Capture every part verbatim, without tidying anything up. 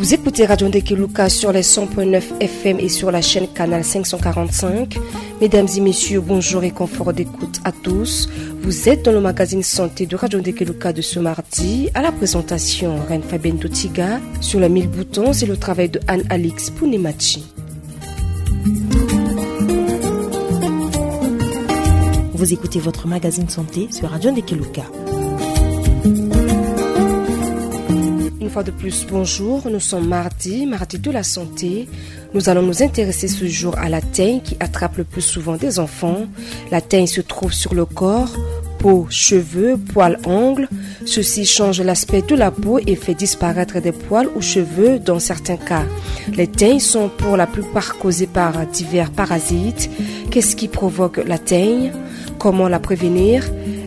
Vous écoutez Radio Ndekeluka sur les cent point neuf F M et sur la chaîne Canal cinq cent quarante-cinq. Mesdames et messieurs, bonjour et confort d'écoute à tous. Vous êtes dans le magazine santé de Radio Ndekeluka de ce mardi. À la présentation, Reine Fabienne Dotiga. Sur la mille boutons, c'est le travail de Anne-Alix Punemachi. Vous écoutez votre magazine santé sur Radio Ndekeluka. Une fois de plus, bonjour. Nous sommes mardi, mardi de la santé. Nous allons nous intéresser ce jour à la teigne qui attrape le plus souvent des enfants. La teigne se trouve sur le corps, peau, cheveux, poils, ongles. Ceci change l'aspect de la peau et fait disparaître des poils ou cheveux dans certains cas. Les teignes sont pour la plupart causées par divers parasites. Qu'est-ce qui provoque la teigne ? Comment la prévenir ?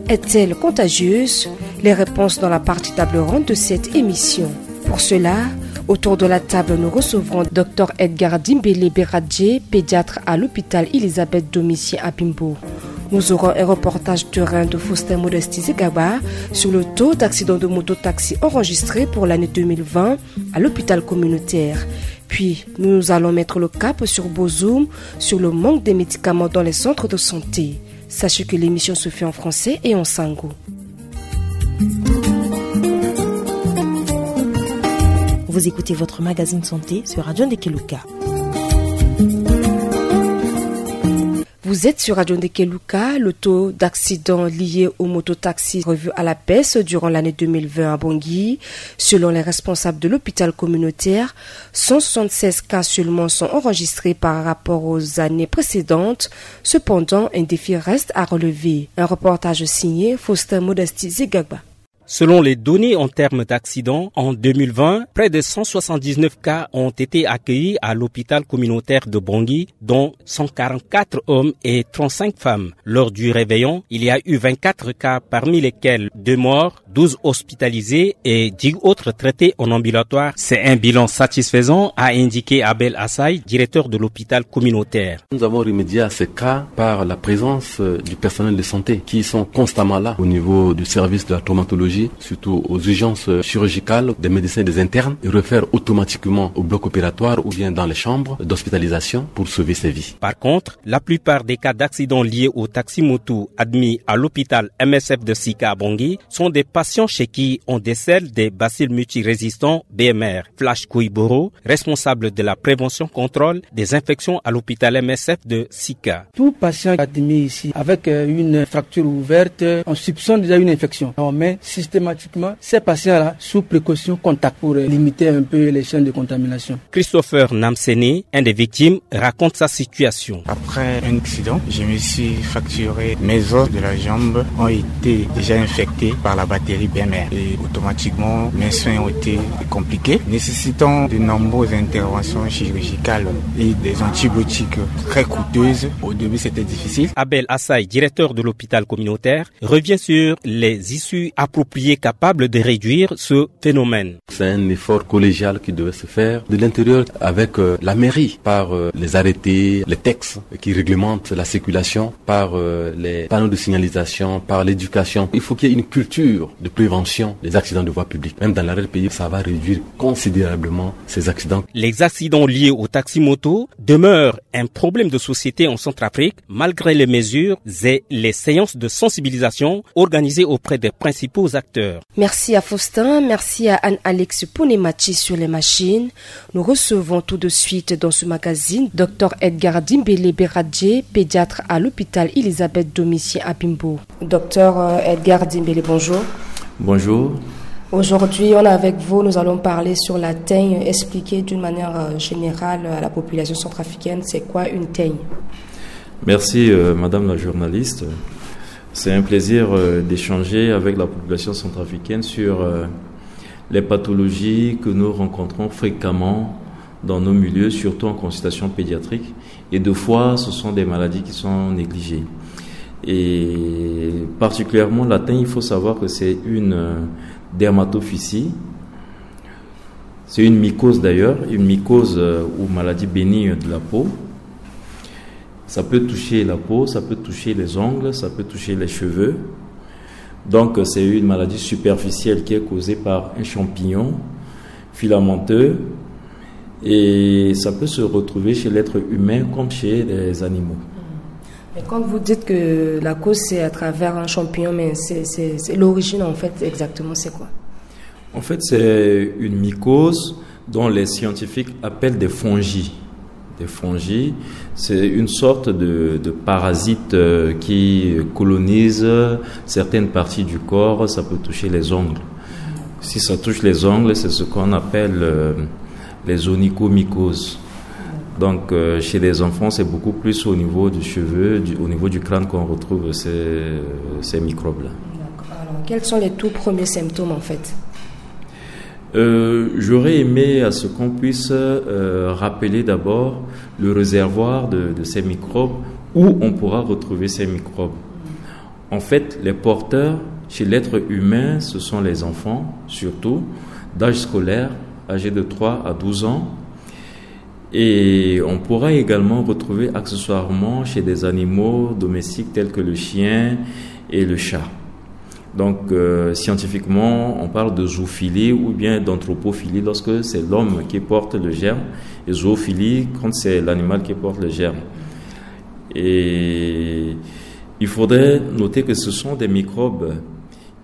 Est-elle contagieuse ? Les réponses dans la partie table ronde de cette émission. Pour cela, autour de la table, nous recevrons Dr Edgar Dimbele Beradje, pédiatre à l'hôpital Elisabeth Domitien à Bimbo. Nous aurons un reportage terrain de Faustin Modesti Zegaba sur le taux d'accidents de mototaxi enregistrés pour l'année deux mille vingt à l'hôpital communautaire. Puis, nous allons mettre le cap sur Bozoum, sur le manque des médicaments dans les centres de santé. Sachez que l'émission se fait en français et en sango. Vous écoutez votre magazine santé sur Radio Ndekeluka. Vous êtes sur Radio Ndekeluka. Le taux d'accidents liés aux mototaxis revu à la baisse durant l'année deux mille vingt à Bangui. Selon les responsables de l'hôpital communautaire, cent soixante-seize cas seulement sont enregistrés par rapport aux années précédentes. Cependant, un défi reste à relever. Un reportage signé Faustin Modesti Zegagba. Selon les données en termes d'accidents, en deux mille vingt, près de cent soixante-dix-neuf cas ont été accueillis à l'hôpital communautaire de Bangui, dont cent quarante-quatre hommes et trente-cinq femmes. Lors du réveillon, il y a eu vingt-quatre cas, parmi lesquels deux morts, douze hospitalisés et dix autres traités en ambulatoire. C'est un bilan satisfaisant, a indiqué Abel Assay, directeur de l'hôpital communautaire. Nous avons remédié à ces cas par la présence, euh, du personnel de santé qui sont constamment là au niveau du service de la traumatologie, surtout aux urgences, euh, chirurgicales, des médecins et des internes, et réfèrent automatiquement au bloc opératoire ou bien dans les chambres d'hospitalisation pour sauver ces vies. Par contre, la plupart des cas d'accidents liés au taxi-moto admis à l'hôpital M S F de Sika à Bangui sont des patients chez qui on décèle des bacilles multirésistants B M R. Flash Koiboro, responsable de la prévention contrôle des infections à l'hôpital M S F de Sika. Tout patient admis ici avec, euh, une fracture ouverte, on soupçonne déjà une infection. On met systématiquement ces patients-là sous précaution contact pour, euh, limiter un peu les chaînes de contamination. Christopher Namsene, un des victimes, raconte sa situation. Après un accident, je me suis fracturé. Mes os de la jambe ont été déjà infectés par la bactérie B M R et automatiquement mes soins ont été compliqués, nécessitant de nombreuses interventions chirurgicales et des antibiotiques très coûteuses. Au début, c'était difficile. Abel Assay, directeur de l'hôpital communautaire, revient sur les issues appropriées capables de réduire ce phénomène. C'est un effort collégial qui devait se faire de l'intérieur avec, euh, la mairie, par, euh, les arrêtés, les textes qui réglementent la circulation, par, euh, les panneaux de signalisation, par l'éducation. Il faut qu'il y ait une culture de prévention des accidents de voie publique. Même dans l'arrière-pays, ça va réduire considérablement ces accidents. Les accidents liés au taxi-moto demeurent un problème de société en Centrafrique, malgré les mesures et les séances de sensibilisation organisées auprès des principaux acteurs. Merci à Faustin, merci à Anne-Alex Pounemati sur les machines. Nous recevons tout de suite dans ce magazine Dr Edgar Dimbele Beradje, pédiatre à l'hôpital Elisabeth Domitien à Bimbo. Dr Edgar Dimbele, bonjour. Bonjour. Aujourd'hui, on est avec vous, nous allons parler sur la teigne. Expliquez d'une manière, euh, générale à la population centrafricaine, c'est quoi une teigne ? Merci, euh, madame la journaliste. C'est un plaisir, euh, d'échanger avec la population centrafricaine sur, euh, les pathologies que nous rencontrons fréquemment dans nos milieux, surtout en consultation pédiatrique. Et de fois, ce sont des maladies qui sont négligées. Et particulièrement, la teigne, il faut savoir que c'est une, euh, dermatophysie. C'est une mycose d'ailleurs, une mycose, euh, ou maladie bénigne de la peau. Ça peut toucher la peau, ça peut toucher les ongles, ça peut toucher les cheveux. Donc, c'est une maladie superficielle qui est causée par un champignon filamenteux Et ça peut se retrouver chez l'être humain comme chez les animaux. Et quand vous dites que la cause c'est à travers un champignon, mais c'est, c'est, c'est l'origine en fait exactement, c'est quoi? En fait, c'est une mycose dont les scientifiques appellent des fongies. Des fongies, c'est une sorte de, de parasite euh, qui colonise certaines parties du corps. Ça peut toucher les ongles. Si ça touche les ongles, c'est ce qu'on appelle euh, les onychomycoses. Donc, euh, chez les enfants, c'est beaucoup plus au niveau du cheveu, du- au niveau du crâne qu'on retrouve ces, ces microbes-là. D'accord. Alors, quels sont les tout premiers symptômes en fait? Euh, J'aurais aimé à ce qu'on puisse euh, rappeler d'abord le réservoir de, de ces microbes, où on pourra retrouver ces microbes. En fait, les porteurs chez l'être humain, ce sont les enfants, surtout, d'âge scolaire, âgés de trois à douze ans. Et on pourra également retrouver accessoirement chez des animaux domestiques tels que le chien et le chat. Donc, euh, scientifiquement, on parle de zoophilie ou bien d'anthropophilie lorsque c'est l'homme qui porte le germe, et zoophilie quand c'est l'animal qui porte le germe. Et il faudrait noter que ce sont des microbes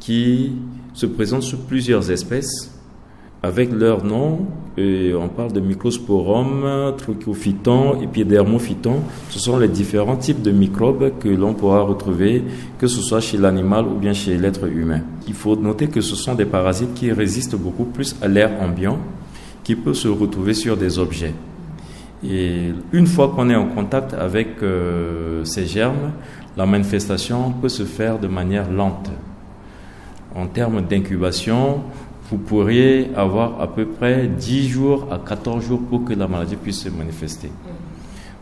qui se présentent sous plusieurs espèces. Avec leur nom, euh, on parle de microsporum, trichophyton, épidermophyton. Ce sont les différents types de microbes que l'on pourra retrouver, que ce soit chez l'animal ou bien chez l'être humain. Il faut noter que ce sont des parasites qui résistent beaucoup plus à l'air ambiant, qui peut se retrouver sur des objets. Et une fois qu'on est en contact avec euh, ces germes, la manifestation peut se faire de manière lente. En termes d'incubation, vous pourriez avoir à peu près dix jours à quatorze jours pour que la maladie puisse se manifester.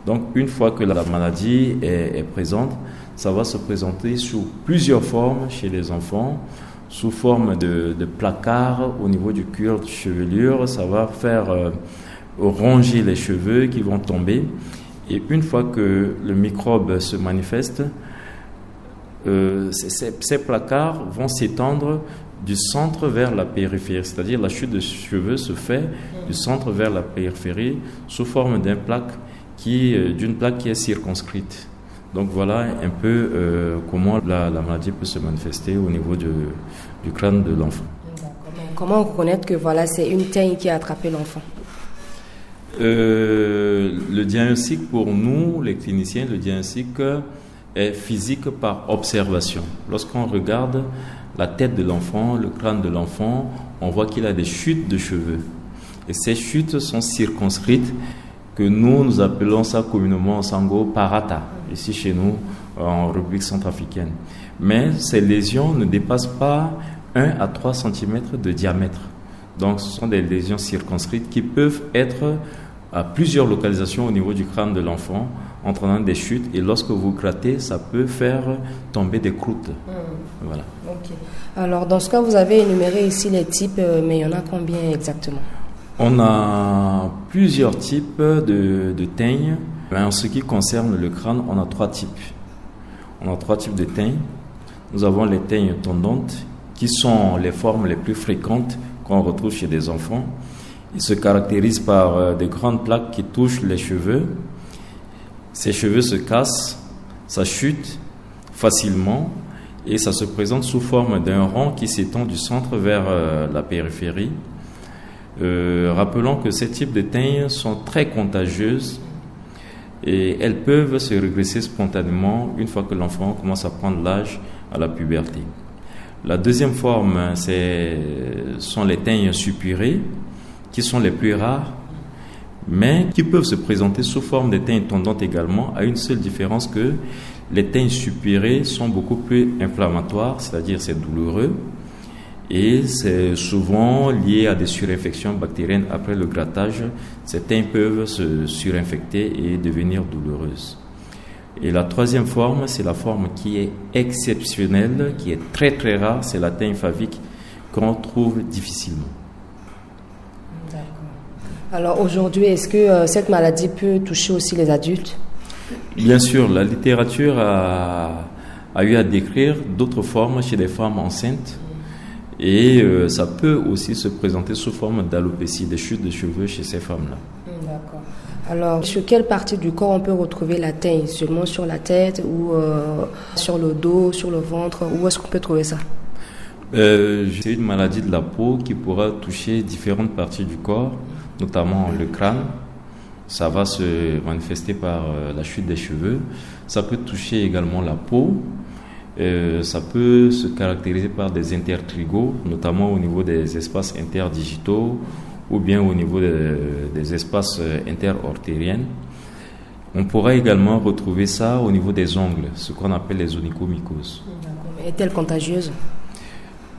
Donc, une fois que la maladie est, est présente, ça va se présenter sous plusieurs formes chez les enfants, sous forme de, de placards au niveau du cuir de chevelure. Ça va faire euh, ronger les cheveux qui vont tomber. Et une fois que le microbe se manifeste, euh, ces, ces- ces placards vont s'étendre du centre vers la périphérie, c'est-à-dire la chute de cheveux se fait du centre vers la périphérie sous forme d'une plaque qui, euh, d'une plaque qui est circonscrite. Donc voilà un peu euh, comment la, la maladie peut se manifester au niveau du, du crâne de l'enfant. D'accord. Mais comment reconnaître que voilà, c'est une teigne qui a attrapé l'enfant? Euh, le diagnostic pour nous, les cliniciens, le diagnostic euh, est physique par observation. Lorsqu'on regarde la tête de l'enfant, le crâne de l'enfant, on voit qu'il a des chutes de cheveux. Et ces chutes sont circonscrites, que nous, nous appelons ça communément en sango parata, ici chez nous, en République centrafricaine. Mais ces lésions ne dépassent pas un à trois centimètres de diamètre. Donc, ce sont des lésions circonscrites qui peuvent être à plusieurs localisations au niveau du crâne de l'enfant, entraînant des chutes. Et lorsque vous grattez, ça peut faire tomber des croûtes. Voilà. Ok. Alors, dans ce cas, vous avez énuméré ici les types, euh, mais il y en a combien exactement? On a plusieurs types de, de teignes, mais en ce qui concerne le crâne, on a trois types. On a trois types de teignes. Nous avons les teignes tondantes, qui sont les formes les plus fréquentes qu'on retrouve chez des enfants. Ils se caractérisent par euh, de grandes plaques qui touchent les cheveux. Ces cheveux se cassent, ça chute facilement et ça se présente sous forme d'un rond qui s'étend du centre vers euh, la périphérie. Euh, rappelons que ces types de teignes sont très contagieuses et elles peuvent se régresser spontanément une fois que l'enfant commence à prendre l'âge à la puberté. La deuxième forme, c'est, sont les teignes suppurées, qui sont les plus rares, mais qui peuvent se présenter sous forme de teignes tondantes également, à une seule différence que les teignes suppurées sont beaucoup plus inflammatoires, c'est-à-dire c'est douloureux, et c'est souvent lié à des surinfections bactériennes. Après le grattage, ces teignes peuvent se surinfecter et devenir douloureuses. Et la troisième forme, c'est la forme qui est exceptionnelle, qui est très très rare, c'est la teigne favique qu'on trouve difficilement. Alors aujourd'hui, est-ce que euh, cette maladie peut toucher aussi les adultes? Bien sûr, la littérature a, a eu à décrire d'autres formes chez des femmes enceintes et euh, ça peut aussi se présenter sous forme d'alopécie, des chutes de cheveux chez ces femmes-là. D'accord. Alors, sur quelle partie du corps on peut retrouver la teigne ? Seulement sur la tête ou, euh, sur le dos, sur le ventre ? Où est-ce qu'on peut trouver ça ? Euh, c'est une maladie de la peau qui pourra toucher différentes parties du corps, notamment le crâne. Ça va se manifester par, euh, la chute des cheveux. Ça peut toucher également la peau. Euh, ça peut se caractériser par des intertrigaux, notamment au niveau des espaces interdigitaux ou bien au niveau des, des espaces, euh, interartériels. On pourra également retrouver ça au niveau des ongles, ce qu'on appelle les onychomycoses. D'accord. Est-elle contagieuse ?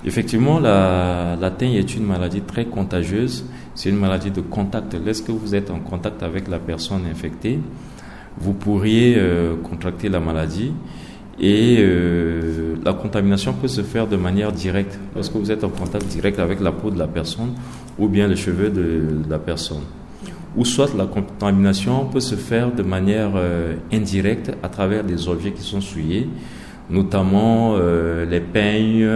Effectivement, la, la teigne est une maladie très contagieuse. C'est une maladie de contact. Lorsque vous êtes en contact avec la personne infectée, vous pourriez, euh, contracter la maladie et, euh, la contamination peut se faire de manière directe lorsque vous êtes en contact direct avec la peau de la personne ou bien le cheveu de, de la personne. Ou soit la contamination peut se faire de manière, euh, indirecte à travers des objets qui sont souillés, notamment, euh, les peignes,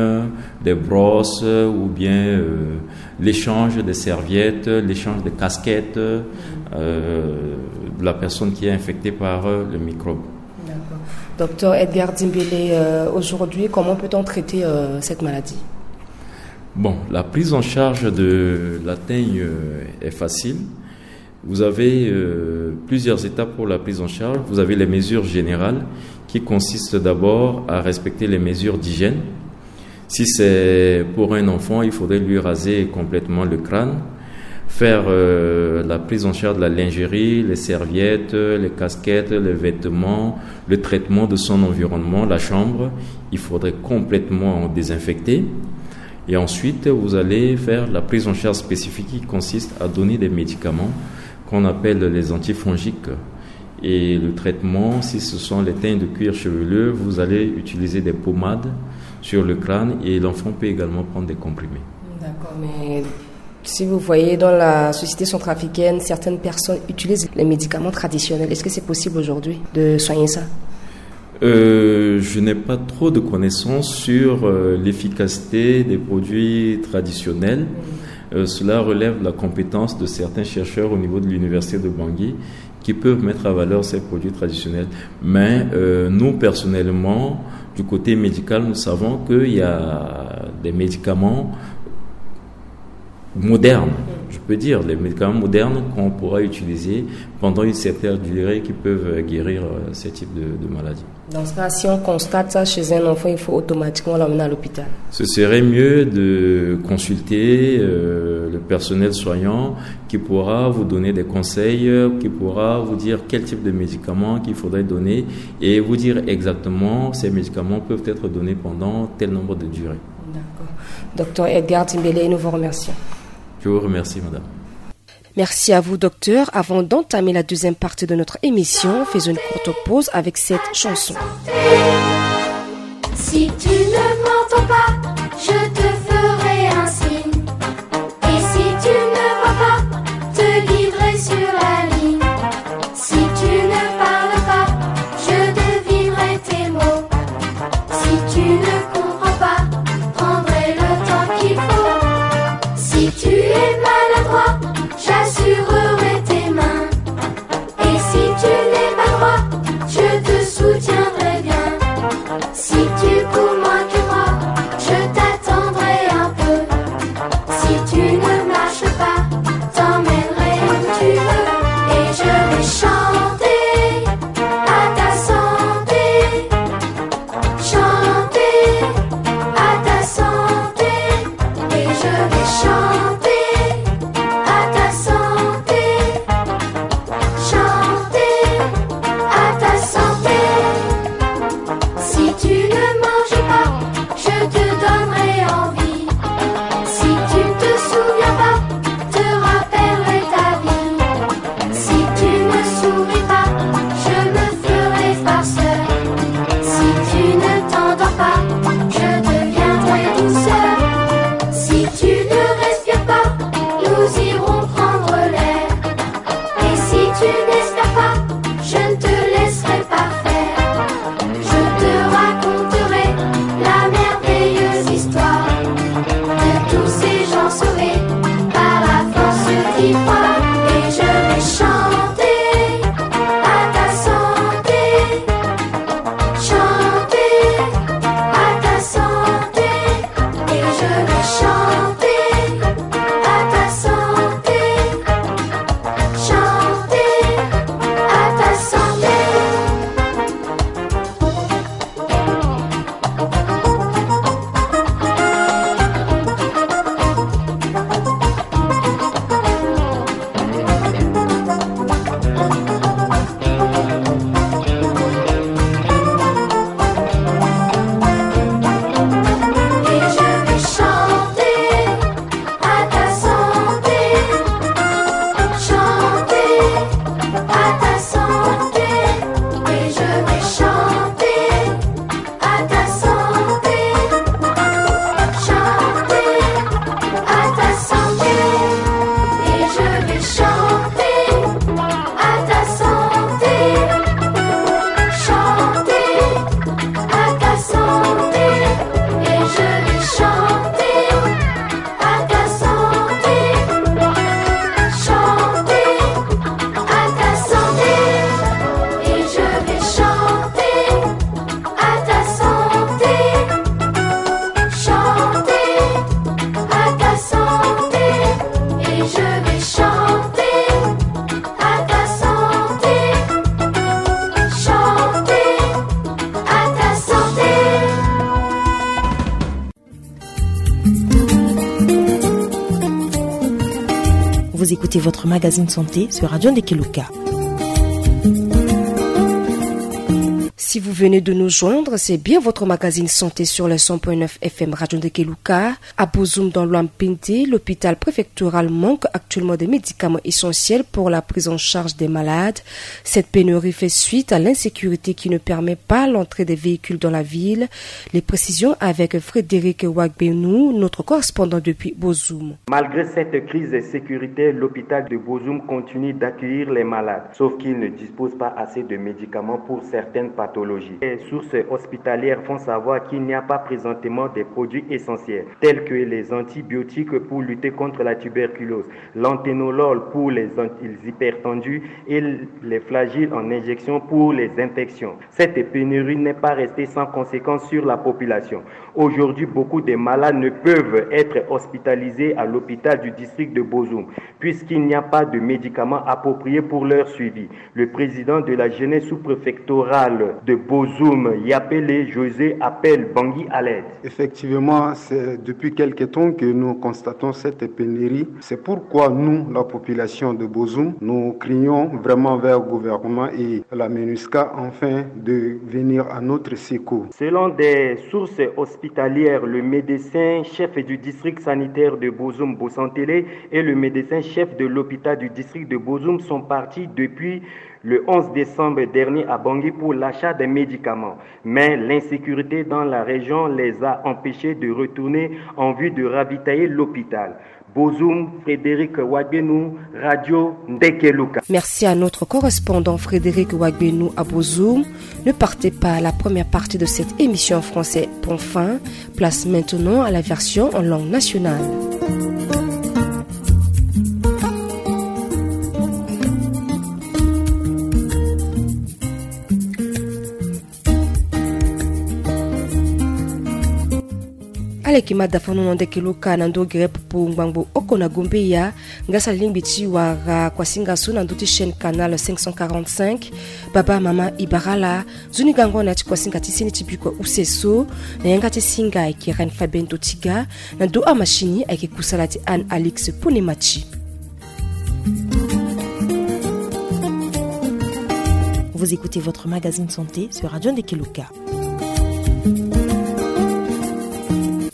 les brosses ou bien, euh, l'échange des serviettes, l'échange des casquettes, euh, de la personne qui est infectée par, euh, le microbe. D'accord. Docteur Edgar Dimbele, euh, aujourd'hui, comment peut-on traiter, euh, cette maladie ? Bon, la prise en charge de la teigne, euh, est facile. Vous avez, euh, plusieurs étapes pour la prise en charge. Vous avez les mesures générales qui consistent d'abord à respecter les mesures d'hygiène. Si c'est pour un enfant, il faudrait lui raser complètement le crâne, faire, euh, la prise en charge de la lingerie, les serviettes, les casquettes, les vêtements, le traitement de son environnement, la chambre. Il faudrait complètement désinfecter. Et ensuite, vous allez faire la prise en charge spécifique qui consiste à donner des médicaments qu'on appelle les antifongiques. Et le traitement, si ce sont les teignes de cuir chevelu, vous allez utiliser des pommades sur le crâne et l'enfant peut également prendre des comprimés. D'accord, mais si vous voyez, dans la société centrafricaine, certaines personnes utilisent les médicaments traditionnels. Est-ce que c'est possible aujourd'hui de soigner ça ? Euh, je n'ai pas trop de connaissances sur, euh, l'efficacité des produits traditionnels. Euh, cela relève de la compétence de certains chercheurs au niveau de l'université de Bangui qui peuvent mettre en valeur ces produits traditionnels. Mais, euh, nous, personnellement, du côté médical, nous savons qu'il y a des médicaments modernes, je peux dire, les médicaments modernes qu'on pourra utiliser pendant une certaine durée qui peuvent, euh, guérir, euh, ce type de, de maladie. Dans ce cas, si on constate ça chez un enfant, il faut automatiquement l'emmener à l'hôpital. Ce serait mieux de consulter, euh, le personnel soignant qui pourra vous donner des conseils, euh, qui pourra vous dire quel type de médicaments qu'il faudrait donner et vous dire exactement ces médicaments peuvent être donnés pendant tel nombre de durées. D'accord. Docteur Edgar Dimbele, nous vous remercions. Je vous remercie, madame. Merci à vous, docteur. Avant d'entamer la deuxième partie de notre émission, faisons une courte pause avec cette chanson. Si tu ne m'entends pas, je te ferai un signe. Et si tu ne vois pas, te guiderai sur la ligne. Si tu ne parles pas, je devinerai tes mots. Si tu ne comprends pas, prendrai le temps qu'il faut. Si tu es maladroit, j'assurerai tes mains. Et si tu n'es pas droit, je te soutiendrai bien. Si tu cours moins que moi, je Écoutez votre magazine santé sur Radio Ndekeluka. Si vous venez de nous joindre, c'est bien votre magazine santé sur le cent point neuf F M Radio Ndekeluka. À Bozoum, dans l'Ouham-Pende, l'hôpital préfectoral manque actuellement des médicaments essentiels pour la prise en charge des malades. Cette pénurie fait suite à l'insécurité qui ne permet pas l'entrée des véhicules dans la ville. Les précisions avec Frédéric Wagbenou, notre correspondant depuis Bozoum. Malgré cette crise sécuritaire, l'hôpital de Bozoum continue d'accueillir les malades, sauf qu'il ne dispose pas assez de médicaments pour certaines pathologies. Les sources hospitalières font savoir qu'il n'y a pas présentement des produits essentiels, tels que les antibiotiques pour lutter contre la tuberculose, l'anténolol pour les an-, les hypertendus et les flagyl en injection pour les infections. Cette pénurie n'est pas restée sans conséquence sur la population. Aujourd'hui, beaucoup de malades ne peuvent être hospitalisés à l'hôpital du district de Bozoum, puisqu'il n'y a pas de médicaments appropriés pour leur suivi. Le président de la jeunesse sous-préfectorale de Bozoum, Yapele José, appelle Bangui à l'aide. Effectivement, c'est depuis quelque temps que nous constatons cette pénurie. C'est pourquoi nous, la population de Bozoum, nous crions vraiment vers le gouvernement et la MINUSCA afin de venir à notre secours. Selon des sources hospitalières, le médecin chef du district sanitaire de Bozoum, Bosantele, et le médecin chef de l'hôpital du district de Bozoum sont partis depuis le onze décembre dernier à Bangui pour l'achat des médicaments. Mais l'insécurité dans la région les a empêchés de retourner en vue de ravitailler l'hôpital. Bozoum, Frédéric Wagbenou, Radio Ndekeluka. Merci à notre correspondant Frédéric Wagbenou à Bozoum. Ne partez pas, la première partie de cette émission en français prend fin. Place maintenant à la version en langue nationale. Ala yeke ma dafano na Ndekeluka na ndö gere popo ngbangbo oko na Gombeya. Nga sara lingbi ti wara kuasinga so na ndö ti chaîne canal cinq cent quarante-cinq. Baba, mama, e bara ala, nzoni gango na ya ti kuasinga ti seni ti bikua use so. Na yanga ti singa ayeke Reine Fabienne Totiga. Na ndö amachine ayeke kusala ti Anne Alix Ponemati. Vous écoutez votre magazine santé sur Radio Ndekeluka.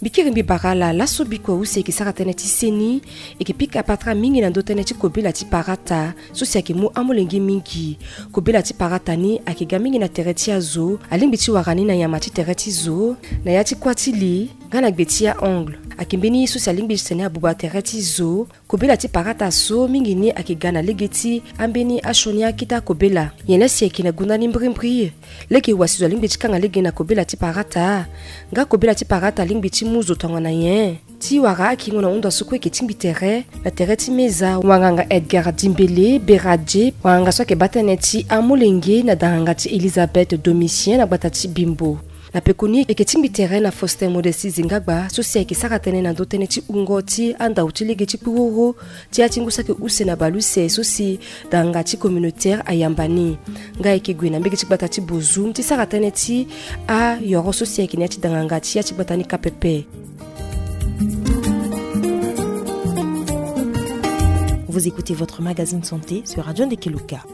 Mbi kiri mbi bara ala, laso bikua use eke sara tënë ti seni, eke pika patara mingi na ndö tënë ti kobela ti parata so si ayeke mu amolenge mingi. Kobela ti parata ni ayeke ga mingi na tere ti azo, alingbi ti wara ni na nyama ti tere ti zo, na ya ti kuâ ti li, nga na gbe ti a-ongle. Ayeke mbeni ye so si alingbi ti tene abuba tere ti zo. Kobela ti parata so mingi ni ayeke ga na lege ti ambeni asioni akita kobela. Nyen laa si ayeke na gunda ni mbirimbiri? Lege wa si zo alingbi ti kanga lege na kobela ti parata? Nga kobela ti parata alingbi ti mu zo tongana nyen? Ti wara akingo na hunda so kue eke tingbi tere na tere ti meza, wanganga Edgar Dimbele Beradie, wanganga so ayeke baa tënë ti amolenge na danganga ti Elisabeth Domitien na gbata ti Bimbo. Na pekoni eke tingbi tere na Faustin Modesti Zingagba so si ayeke sara tënë na ndö tënë ti wungo ti andau ti lege ti kpuroro ti ya ti ngu saki use na baleuse so si danganga ti communautaire ayamba ni. Nga ayeke gue na mbege ti gbata ti Bozoum ti sara tënë ti ayoro so si ayeke na ya ti danganga ti ya ti gbata ni ka pepe. Vous écoutez votre magazine santé sur Radio Ndekeluka.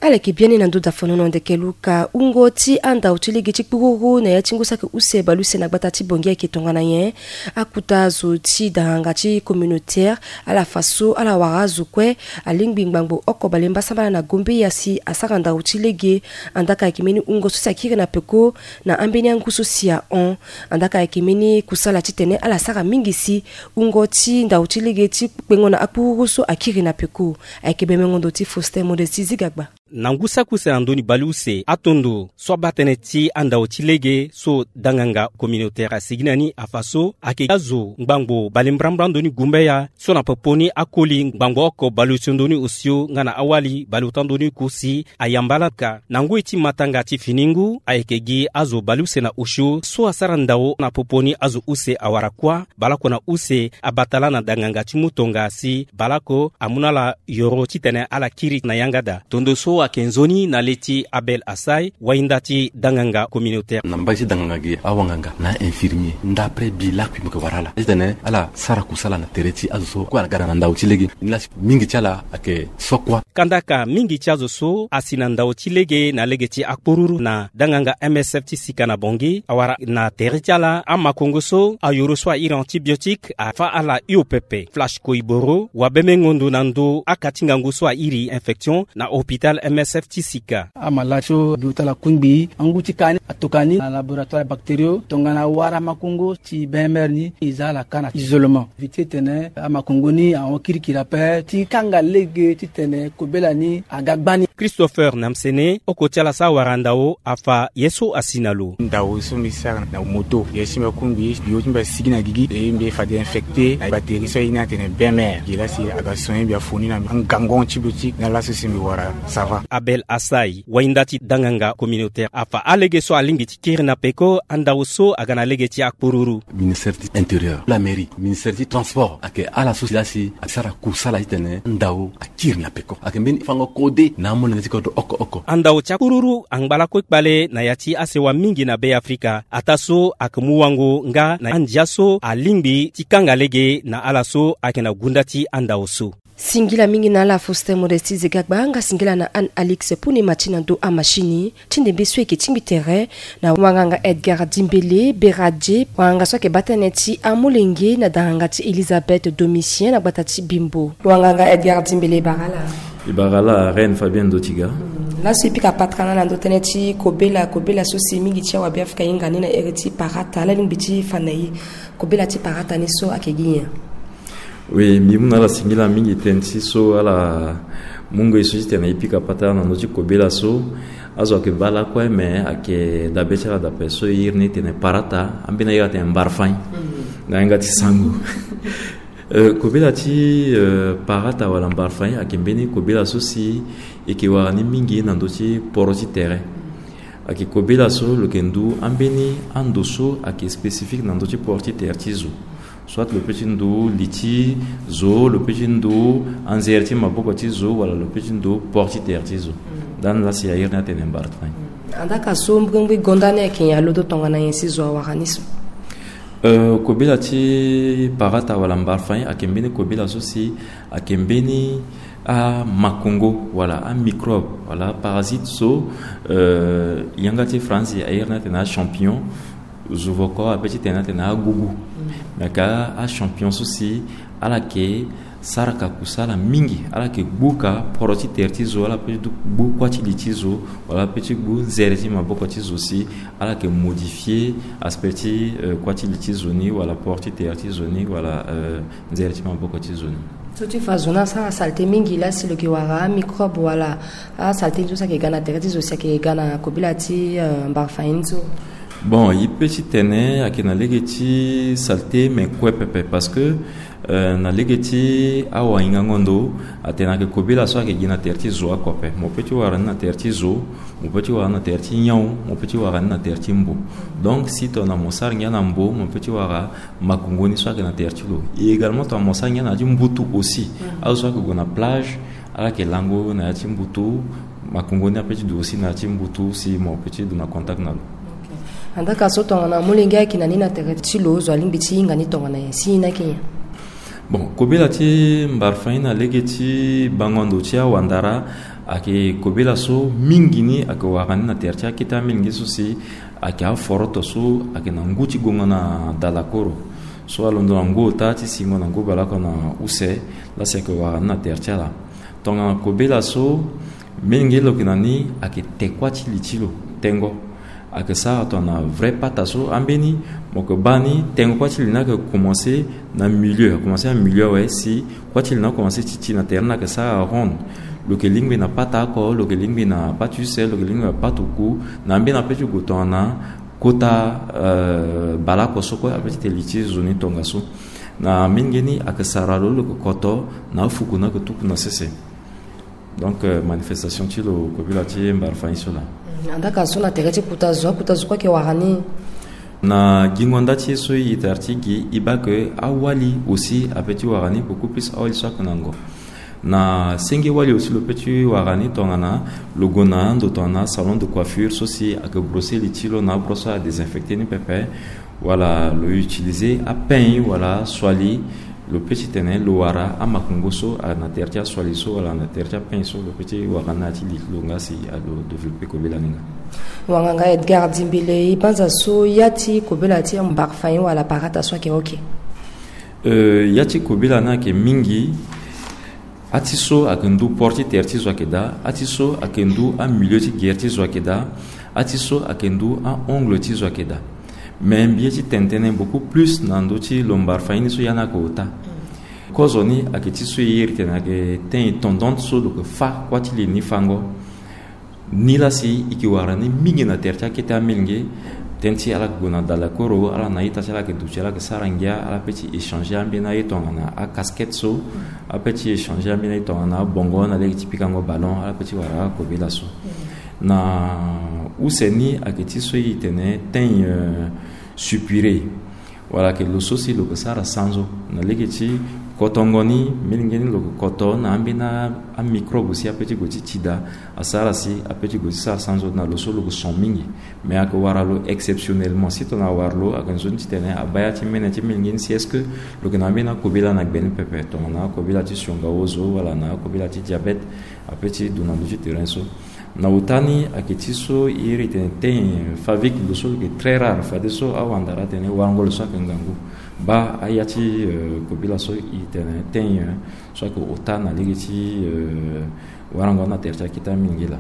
Ala yeke biani na ndö dafanono Ndekeluka. Wungo ti andau ti lege ti kpururu na ya ti ngu saki use baleuse na gbata ti Bangui ayeke tongana nyen? Akuta zo ti danganga ti communautaire ala fa so ala wara azo kue. Alingbi ngbangbo oko bale mbasambala na Gombeya si asara ndau ti lege. Andaka ayeke mbeni wungo so si akiri na peko na ambeni angu so si ahon. Andaka ayeke mbeni kusala titene ala sara mingi si wungo ti ndau ti lege ti kpengo na akpururu so akiri na peko. Ayeke bemengo ndo ti Faustin Modesti Zigagba. Na ngu saki use na ndoni baleuse, atondo so abaa tënë ti andau ti lege so danganga communautaire asigi na ni afa so ayeke azo ngbangbo bale mbrambra ndoni Gombeya so na popo ni akoli ngbangbo oko baleuse ndoni osio nga na awali baleota ndoni ku si ayamba ala ka. Na ngoi ti matanga ti fini ngu ayeke gi azo baleuse na osio so asara ndau na popo ni azo use awara kuâ, baleoko na use abata laa na danganga ti mu tonga si baleoko amu na ala yoro titene ala kiri na yanga daa. Tondo so Ayeke nzoni na le ti Abel Asai, wainda ti danganga communautaire. Na mbage ti danganga gi awanganga na infirmier, ndapre bi lakui mo yeke wara ala titene ala sara kusala na tere ti azo so kue ala ga na ndau ti lege. Ni lasi mingi ti ala ayeke so kuâ. Kandaka mingi ti azo so asi na ndau ti lege na lege ti akpururu na danganga M S F ti sika na Bangui awara na tere ti ala amakongo so ayoro so a iri antibiotique afa ala hio pepe. Flash Koiboro, wabemengo ndo na ndo aka ti ngangu so a iri infection na hôpital M S F ti sika. Amalade so bi ota ala kungbi angu ti ka ni atokua ni na laboratoire bactériaux tongana wara makongo ti B M R ni e za ala ka na isolement. Éviter titene amakongo ni ahon kirikiri ape ti kanga lege titene kobela ni aga gbani. Christopher Namsene, oko ti ala so awara ndao afa ye so asi na lo. Ndao so mbi sara na moto, ye si mbi akungbi bio ti mbi asigi na gigi, e mbi fade infecté na bactérie so aye ni atene B M R. Gi lasi aga soigner mbi afoni na mbi angangu antibiotique, na laso si mbi wara ça va. Abel Asai, wainda ti danganga communautaire afa alege so alingbi ti kiri na peko andao so aga na lege ti akpururu. Ministère ti intérieur, la mairie, ministère ti transport ayeke ala so si lasi asara kusala titene ndao akiri na peko. Ayeke mbeni fango kode na amolenge ti kodro oko oko. Andao ti akpururu angba lakue kpale na ya ti asewa mingi na Beafrika. Ataa so ayeke mu wango nga na andia so alingbi ti kanga lege na ala so ayeke na gunda ti andao so. Singila mingi na ala Faustin Modestie Zegagba, nga singila na Anne Alix Puni Mati na ndo amashini. Ti ndembe so e yeke tingbi tere na wanganga Edgar Dimbele Beradie, wanganga so ayeke baa tënë ti amolenge na danganga ti Elisabeth Domitien na gbata ti Bimbo. Wanganga Edgar Dimbele, e bara ala. E bara ala reine Fabienne Dotiga. Laso e pika patara na ala na ndo tënë ti kobela, kobela so si mingi ti awabeafrika ahinga ni na ere ti parata, ala lingbi ti fa na e kobela ti parata ni so ayeke gi nyen? Oui, mbi mu na ala singila mingi tënë ti so ala mu ngoi so titene e pika patara na ndö ti kobela so. Azo ayeke baa lakue, me ayeke dabe ti ala dape so e iri ni tene parata, ambeni a iri atene mbarfany na yanga ti sango. Eh, kobela ti, eh, parata wala mbarfany ayeke mbeni kobela so si e yeke wara ni mingi na ndö ti poro ti tere. Ayeke kobela so lo yeke ndu ambeni ando so ayeke spécifique na ndö ti poro ti tere ti zo. Soit lo peut ti ndu li ti zo, lo peut ti ndu anzere ti maboko ti zo, wala lo peut ti ndu poro ti tere ti zo. Ndani lasi a iri ni atene mbarfany. Andaka so mbrimbri gonda ni ayeke nyen, alondo tongana nyen si zo awara ni so? Eh, kobela ti parata wala mbarfany ayeke mbeni kobela so si ayeke mbeni amakongo wala amicrobe wala aparasite so, eh, yanga ti France a iri ni atene achampignon. Zo voko ape ti tene atene agugu. Me ayeke achampignon so si ala yeke saraka kusala mingi, ala yeke gbuka poro ti tere ti zo, ala peut ti gbu kuâ ti li ti zo, wala ala peut ti gbu nzere ti maboko ti zo si ala yeke modifier aspect ti, eh, kuâ ti li ti zo ni, wala poro ti tere ti zo ni, wala, eh, nzere ti maboko ti zo ni. So ti fa zo ni asara saleté mingi laa si lo yeke wara amicrobe wala asaleté ni so si ayeke ga na tere ti zo si ayeke ga na kobela ti, eh, mbarfany ni so? Bon, e peut ti tene ayeke na lege ti saleté, me kue pepe, parce que, eh, na lege ti awahingango ndo atene ayeke kobela so ayeke gi na tere ti zo oko ape. Mo peut ti wara ni na tere ti zo, mo peut ti wara ni na tere ti nyon, mo peut ti wara ni na tere ti mbo. Donc si tongana mo sara ngia na mbo, mo peut ti wara makongo ni so ayeke na tere ti lo. Et également tongana mo sara ngia na ya ti mbutu aussi. Azo so ayeke gue na plage, ala yeke lango na ya ti mbutu, makongo ni apeut ti du aussi na ya ti mbutu si mo peut ti du na contact na lo. Ok. Andaka so tongana molenge ayeke na ni na tere ti lo, zo alingbi ti hinga ni tongana nyen si e hinga ni ayeke nyen? Bon, kobela ti mbarfany na lege ti bango ndo ti awandara ayeke kobela so mingi ni ayeke wara ni na tere ti akete amilenge so si ayeke aforoto so ayeke na ngu ti gongo na dalakoro. So alondo na ngu ota ti singo na ngu baleoko na use, lasi ayeke wara ni na tere ti ala. Tongana kobela so, mingi lo yeke na ni ayeke te kuâ ti li ti lo, tengo. Ayeke sara tongana vrai pata so, ambeni mo yeke baa ni tengo kuâ ti li ni ayeke commencé na milieu, ayeke commencé na milieu awe si kuâ ti li ni akomanse ti ti na tere ni ayeke sara ronde. Lo yeke lingbi na pata oko, lo yeke lingbi na pata use, lo yeke lingbi na pata oku, na ambeni apeut ti gue tongana kota, euh, baleoko so kue apeut ti tene li ti zo ni tongaso. Na mingi ni ayeke sara lo, lo yeke koto na afuku ni ayeke tuku na sese. Donc, euh, manifestation ti lo kobela ti mbarfany so laa. Mm, andaka so na tere ti kota zo, akota zo kue ayeke wara ni? Na gingo nda ti e so e tara ti gi, e baa ke awali aussi apeut ti wara ni, beaucoup plus awali so ayeke na ngo. Na senge wali aussi lo peut ti wara ni tongana lo gue na ndo tongana salon de coiffure so si ayeke brosser li ti lo na abrosse so adésinfecter ni pepe, wala lo utiliser apain wala asuali, lo peut ti tene lo wara amakongo so na tere ti asuali so wala na tere ti apain so, lo peut ti wara ni na ya ti li ti lo nga si alo développer kobela ni nga. Wanganga Edgar Dimbele, e banza so ya ti kobela ti mbarfain wala parata so ayeke oke? Euh, ya ti kobela ni ayeke mingi. Ati so ayeke ndu port ti tere ti zo ayeke daa, ati so ayeke ndu amilieu ti gere ti zo ayeke daa, ati so ayeke ndu a-ongle ti zo ayeke daa. Mais mbi ye ti tene tënë beaucoup plus na ndö ti lo mbarfain ni so ya ni ayeke ota. Kozo ni ayeke ti so e iri tene ayeke tënë tendance so lo yeke fâ kuâ ti li ni fango. Ni laa si e yeke wara ni mingi na tere ti akete amilenge. Tënë ti ala yeke gue na dalakoro, ala na a-ita ti ala yeke duti, ala yeke sara ngia, ala peut ti échanger ambeni aye tongana acasquette so, ala peut ti échanger ambeni aye tongana abongo na lege ti pikango ballon, ala peut ti wara akobela so. Na use ni ayeke ti so e tene tënë, euh, soupiré. Wala ayeke lo so si lo yeke sara sanzo na lege ti kotongo ni, milenge ni lo yeke koto na ambeni amicrobe si apeut ti gue ti tida, asara si apeut ti gue ti sara sanzo na lo so lo yeke son mingi. Mais ayeke wara lo exceptionnellement. Si tongana awara lo, ayeke nzoni titene abaa ya ti mene ti milenge ni si est-ce que lo yeke na ambeni akobela na gbe ni pepe, tongana akobela ti sionga ozo wala na akobela ti diabète, apeut ti du na ndö ti terrain so. Na ota ni ayeke ti so e iri tene tënë favique, lo so lo yeke très rare, fadeso awandara atene warango lo so ayeke ngangu. Baa aya ti, euh, kobela so e tene tënë, euh, so ayeke ota na lege ti, euh, warango na tere ti akete amilenge laa.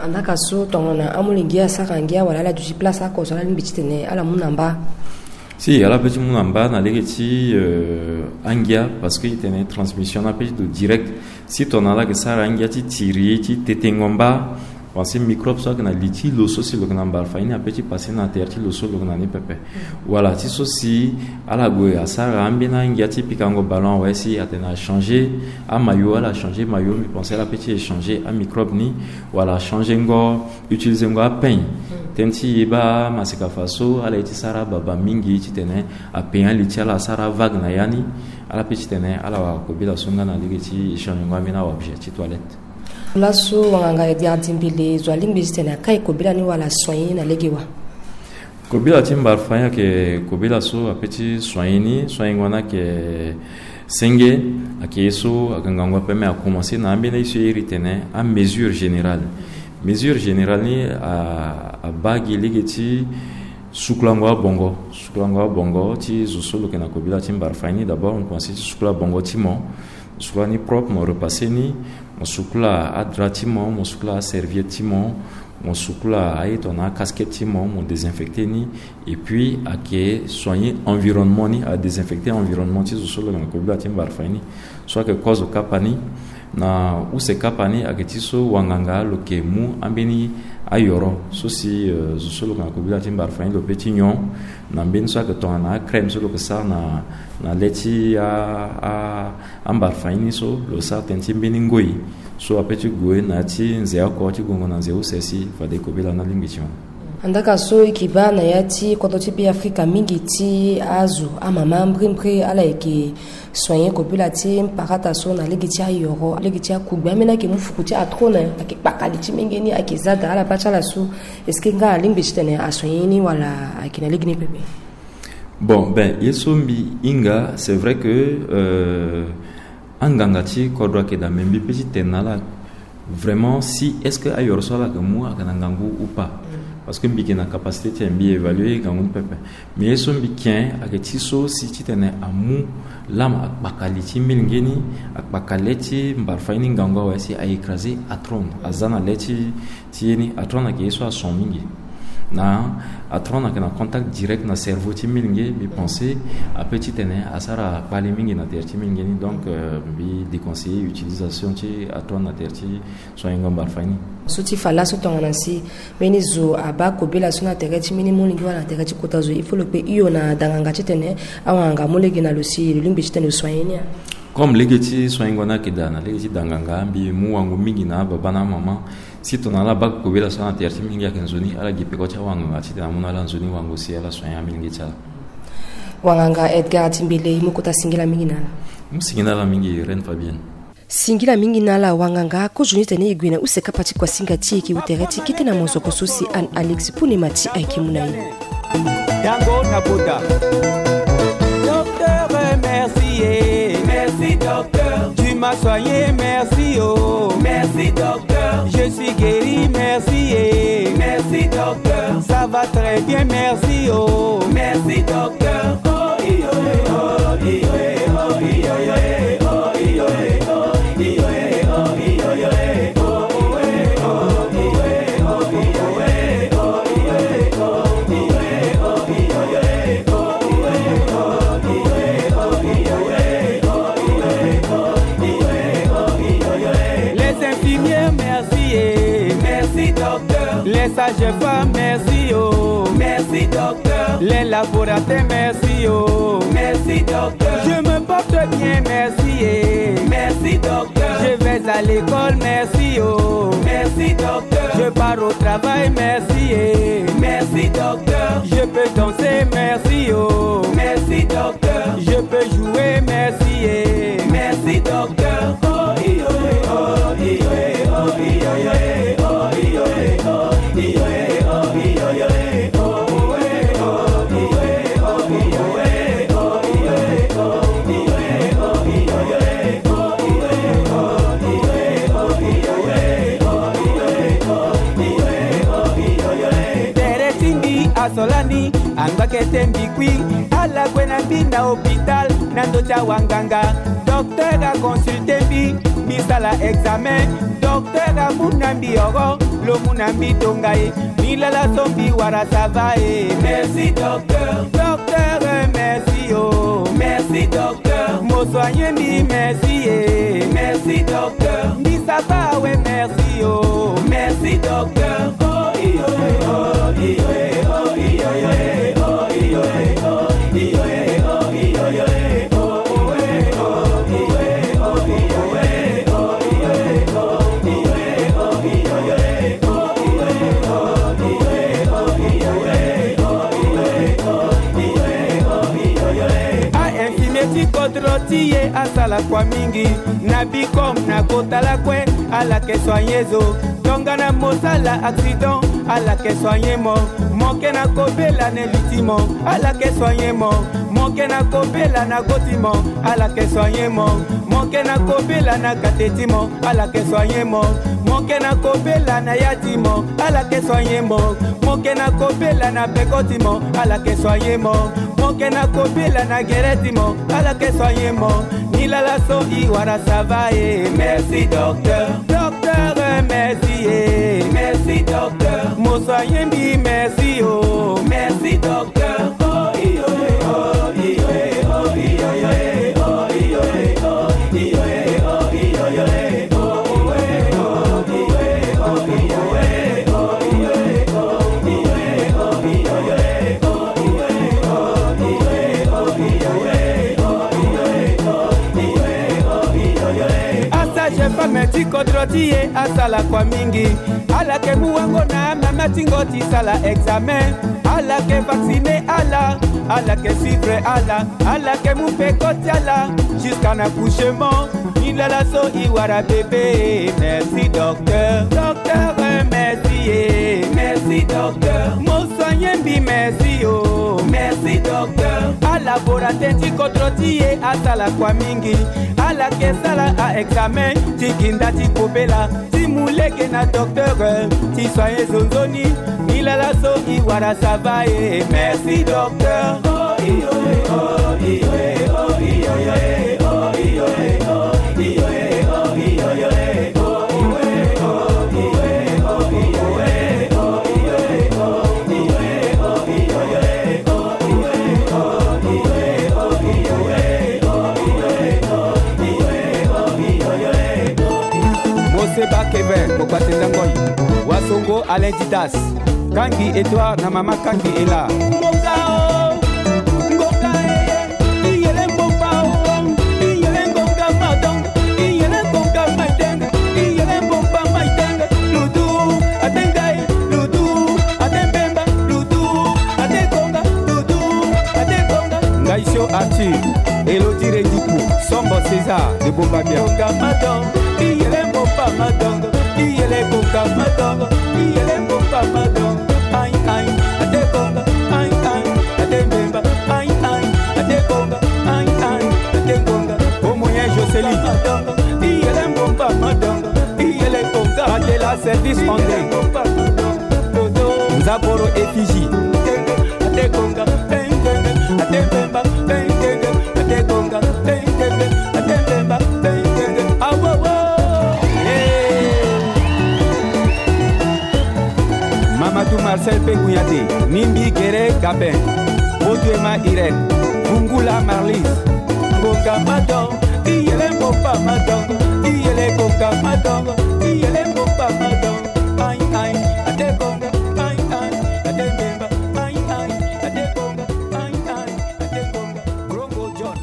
Andaka so tongana amolenge asara ngia wala ala duti place oko so ala lingbi titene ala mu na mba? Si, ala peut ti mu na mba na lege ti, euh, angia, parce que e tene transmission ni apeut ti do direct. Si tongana ala yeke sara angia ti tiri, ti tetengo mba, parce que microbe so ayeke na li ti lo so si lo yeke na mbarfain ni apeut ti passer na tere ti lo so lo yeke na ni pepe. Wala ti so si ala gue asara ambeni angia ti pikango ballon awe, si atene achanger amayo, ala changer mayo, mbi pense ala peut ti échanger amicrobe ni, wala achanger ngo, utiliser ngo apain. Tënë ti e baa masika fa so ala ye ti sara ababa mingi titene apain ali ti ala asara avague na ya ni, ala peut titene ala wara kobela so nga na lege ti échanger ngo ambeni aobjet ti toilette. Laso wanganga Edgar Dimbele, zo alingbi titene akai kobela ni wala asoigner ni na lege wa? Kobela ti mbarfain ayeke kobela so apeut ti soigner ni, soigner ngo ni ayeke senge, ayeke ye so ayeke ngangu ape, mais akomanse na ambeni aye so e iri tene amesure générale. Mesure générale ni a, abaa gi lege ti sukulango abongo, sukulango abongo ti zo so lo yeke na kobela ti mbarfain ni. D'abord, mo komanse ti sukula bongo ti mo, mo sukula ni propre, mo repasser ni, mo sukula adra ti mo, mo sukula aserviette ti mo, mo sukula aye tongana acasquette ti mo, mo désinfecter ni. Et puis ayeke soigner environnement ni, adésinfecter environnement ti zo so lo yeke na kobela ti mbarfain ni. So ayeke kozo kapa ni. Na use kapa ni ayeke ti so wanganga lo yeke mu ambeni ayoro so si, euh, zo so lo yeke na kobela ti mbarfain ni lo peut ti nyon na mbeni so ayeke tongana acrème so lo yeke sara na, na le ti a, a, ambarfain ni so, lo sara tënë ti mbeni ngoi so apeut ti gue na ya ti nze oko ti gongo na nze use si fade kobela ni alingbi ti hon. Andaka so e yeke baa na ya ti kodro ti Beafrika mingi ti azo, amama mbrimbri, ala yeke soigner kobela ti mparata so na lege ti ayoro, lege ti akugbe. Ambeni ayeke mu fuku ti atrone, ayeke kpaka li ti menge ni, ayeke za daa, ala baa ti ala so. Est-ce que nga alingbi titene asoigner ni wala ayeke na lege ni pepe? Bon, ben, ye so mbi hinga, c'est vrai que, euh, anganga ti kodro ayeke daa, mais mbi peut ti tene na ala vraiment si est-ce que ayoro so ala yeke mu ayeke na ngangu ou pas. Parce que mbi yeke na capacité ti mbi évaluer ngangu ni pepe. Mais ye so mbi ken ayeke ti so si titene amu lame akpaka li ti milenge ni, akpaka le ti mbarfain ni ngangu awe si a écraser atrone, aza na le ti ti ye ni. Atrone ayeke ye so ason mingi. Na atrone ayeke na contact direct na cerveau ti milenge, mbi pense apeut titene asara kpale mingi na tere ti milenge ni. Donc, euh, mbi déconseiller utilisation ti atrone na tere ti soigner ngo mbarfain ni. So ti fa laso tongana si mbeni zo abaa kobela so na tere ti mbeni molenge wala na tere ti kota zo, il faut lo kpe hio na danganga titene awanganga amu lege na lo si lo lingbi titene lo soigner ni a? Comme lege ti soigner ngo ni ayeke daa na lege ti danganga, mbi mu wango mingi na ababa na amama. Si tongana ala baa kobela so na tere ti milenge ayeke nzoni, ala gi peko ti awanganga titene amu na ala nzoni wango si ala soigner amilenge ti ala. Wanganga Edgar Dimbele, e mu kota singila mingi na ala. Mu singila ala mingi, Reine Fabienne. Singila mingi na ala wanganga, kozoni tene e gue na use kapa ti kuasinga ti e, e ke wu tere ti kete na mozoko so si Anne Alex Punema ti ayeke mu na e. Docteur, merci, eh. Merci, docteur. Tu m'as soigné, merci, oh. Merci, docteur. Je suis guéri, merci, eh. Merci, docteur. Ça va très bien, merci, oh. Merci, docteur. Les infirmières, merci, eh. Merci, docteur. Les sages-femmes, merci, oh. Merci, docteur. Les laboratoires, merci, oh. Merci, docteur. Je me porte bien, merci, eh. Merci, docteur. Je vais à l'école, merci, oh. Merci, docteur. Je pars au travail, merci, eh. Merci, docteur. Je peux danser, merci, oh. Merci, docteur. Je peux jouer, merci, eh. Merci, docteur. Tere ti mbi asolani, angbakete mbi kui. Ala gue na mbi na hôpital, na ndö ti awanganga. Docteur aconsulte mbi, mbi sala examen. Docteur amu na mbi oro, lo mu na mbi tonga e. Ni lala so mbi wara, ça va e. Merci, docteur. Docteur, merci, oh. Merci, docteur. Mo soigner mbi, merci, eh. Merci, docteur. Mbi, ça va, ouais, merci, oh. Merci, docteur. A infirmier ti kodro ti e asala kua mingi. Na bicom na kota lakue, ala ke soigner zo. Tongana mo sala accident, ala ke soigner mo. Mo ke na kobela na li ti mo, ala ke soigner mo. Mo ke na kobela na go ti mo, ala ke soigner mo. Mo ke na kobela na kate ti mo, ala ke soigner mo. Mo ke na kobela na ya ti mo, ala ke soigner mo. Mo ke na kobela na peko ti mo, ala ke soigner mo. Mo ke na kobela na gere ti mo, ala ke soigner mo. Ni lala so i wara, ça va e. Merci, docteur. Docteur, merci e. Merci, docteur. Mo soigner mbi, merci, oh. Merci, docteur. Asage-femme ti kodro ti e asala kua mingi. Ala ke mu wango na mama ti ngo ti sala examen. Ala ke vacciner ala, ala ke suivre ala, ala ke mu peko ti ala jusqu'à na accouchement. Ni lala so i wara bébé, merci docteur. Docteur, merci e. Merci docteur. Mo soigner mbi, merci, oh. Merci docteur. Alaborateur ti kodro ti e asala kua mingi. Ala ke sala a examen ti ginda ti kobela, ti mu lege na docteur, ti soigner zo nzoni. Ni lala so i wara, ça va e. Merci docteur. Moseba Kevin, Mokpate Nzangoi, Wasongo Alain Didas, Kangi Edouard na mama Kangi Ela. Ngonga o, ngonga e, iyele ngonga o, iyele ngonga madon, iyele ngonga maiteng, iyele ngonga maiteng, ludu, atengai, ludu, atembemba, ludu, atekonga, ludu, atekonga. Ngaisio Arthur, Elodie Rendipo. Tombo César de Bombabia. Konga madongo, iyele mboka madongo, iyele konga madongo, iyele mboka madongo. Ai, ai, ate konga, ai, ai, ate mbemba, ai, ai, ate konga, ai, ai, ate konga. Omoyen Jocelyne. Madongo, iyele mboka madongo, iyele konga. Batela service André. Nzaporo Effigie. Mamadou Marcel Pegunyate, Nimbi Gere Gabin, Botuema Irène, Bungula Marlis. Bonga madon, iyele mboka madongo, iyele bonga madongo, iyele mboka madongo. Ai, ai, ate bonga, ai, ai, ate mbemba, ai, ai, ate bonga, ai, ai, ate bonga. Grongo John.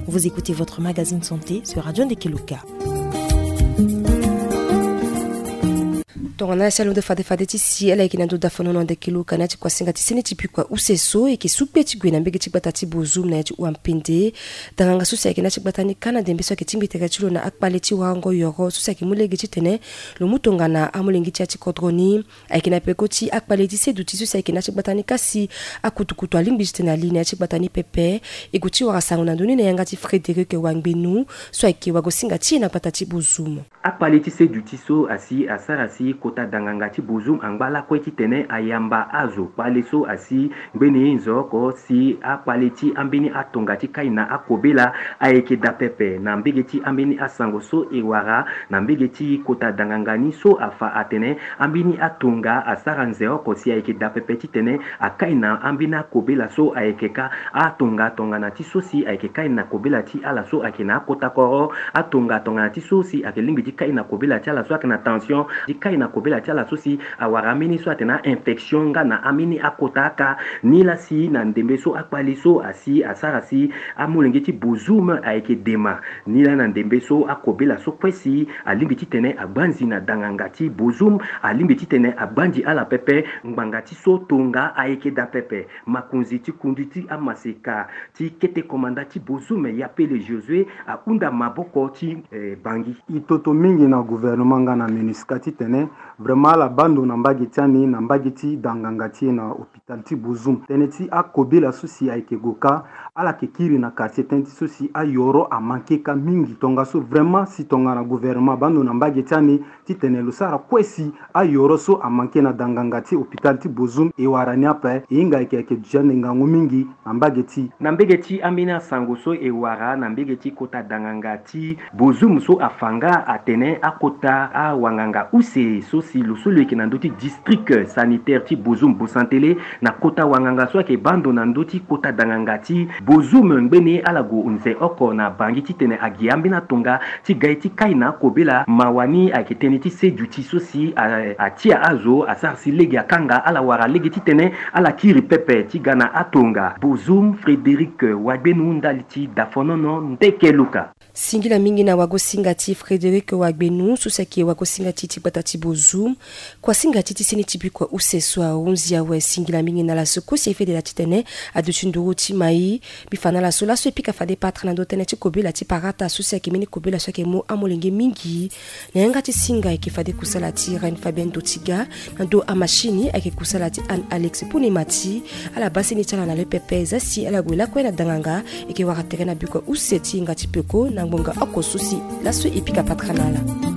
Vous écoutez votre magazine santé sur Radio Ndekeluka. Tongana si alondo fade fade ti si ala yeke na ndo dafonono Ndekeluka na ya ti kuasinga ti sene ti bikua use so e yeke su kpe ti gue na mbege ti gbata ti Bozoum na ya ti Ouampende. Danganga so si ayeke na ya ti gbata ni kâ na ndembe so ayeke tingbi tere ti lo na akpale ti warango yoro so si ayeke mu lege titene lo mu tongana amolenge ti ya ti kodro ni. Ayeke na peko ti akpale ti seduti so si ayeke na ya ti gbata ni kasi akutukutu alingbi titene ali na ya ti gbata ni pepe. E gue ti wara sango na ndö ni na yanga ti Frédéric Wangbenu so ayeke wagosinga ti e na gbata ti Bozoum. Akpale ti seduti so asi asara si kota danganga ti Bozoum angba lakue titene ayamba azo kpale so asi ngbeni nzoko si akpale ti ambeni atonga ti kai na akobela ayeke daa pepe na mbege ti ambeni asango so e wara na mbege ti kota danganga ni so afa atene ambeni atonga asara nze oko si ayeke daa pepe titene akai na ambeni akobela so ayeke ka atonga tongana ti so si ayeke kai na kobela ti ala so ayeke na akota koro, atonga tongana ti so si ayeke lingbi ti kai na kobela ti ala so ayeke na tension, ti kai na kobela ti ala so si awara ambeni so atene a-infection nga na ambeni akota aka. Nilaa si na ndembe so akpale so asi asara si amolenge ti Bozoum ayeke dema. Nilaa na ndembe so akobela so kue si alingbi titene agbanzi na danganga ti Bozoum, alingbi titene agbanzi ala pepe. Ngbanga ti so tonga ayeke daa pepe. Makonzi ti kundu ti amaseka ti kete komanda ti Bozoum, Yapele Josué, ahunda maboko ti, eh, Bangui. E toto mingi na gouvernement nga na MINUSCA titene vraiment ala baa ndo na mbage ti ani na mbage ti danganga ti e na hôpital ti Bozoum. Tënë ti akobela so si ayeke gue kâ, ala yeke kiri na quartier tënë ti so si ayoro amanke kâ mingi. Tongaso vraiment si tongana gouvernement abaa ndo na mbage ti ani titene lo sara kue si ayoro so amanke na danganga ti hôpital ti Bozoum, e wara ni ape, e hinga ayeke ayeke duti ande ngangu mingi na mbage ti. Na mbege ti ambeni asango so e wara na mbege ti kota danganga ti Bozoum so afa nga atene akota awanganga use so si lo so lo yeke na ndö ti district sanitaire ti Bozoum, Bosantele, na kota wanganga so ayeke baa ndo na ndö ti kota danganga ti Bozoum ngbeni ala gue nze oko na Bangui titene agi ambeni atonga ti ga ye ti kai na akobela. Mawa ni ayeke tënë ti seduti so si a, atia azo asara si lege akanga ala wara lege titene ala kiri pepe ti ga na atonga. Bozoum, Frédéric Wagbenu ndali ti Dafonono, Ndekeluka. Singila mingi na wagosinga ti Frédéric Wagbenu so si ayeke wagosinga ti ti gbata ti Bozoum. Kuasinga ti ti seni ti bikua use so ahunzi awe singila mingi na ala so kue si e fedela titene aduti nduru ti mai. Mbi fa na ala so laso e pika fade patara na ndö tënë ti kobela ti parata so si ayeke mbeni kobela so ayeke mu amolenge mingi. Na yanga ti singa ayeke fade kusala ti Reine Fabienne Dotiga na ndö amashini ayeke kusala ti Anne Alex Puni Mati. Ala baa seni ti ala na le pepe zia si ala gue lakue na danganga. E yeke wara tere na bikua use ti hinga ti peko na ngbonga oko so si laso e pika patara na ala.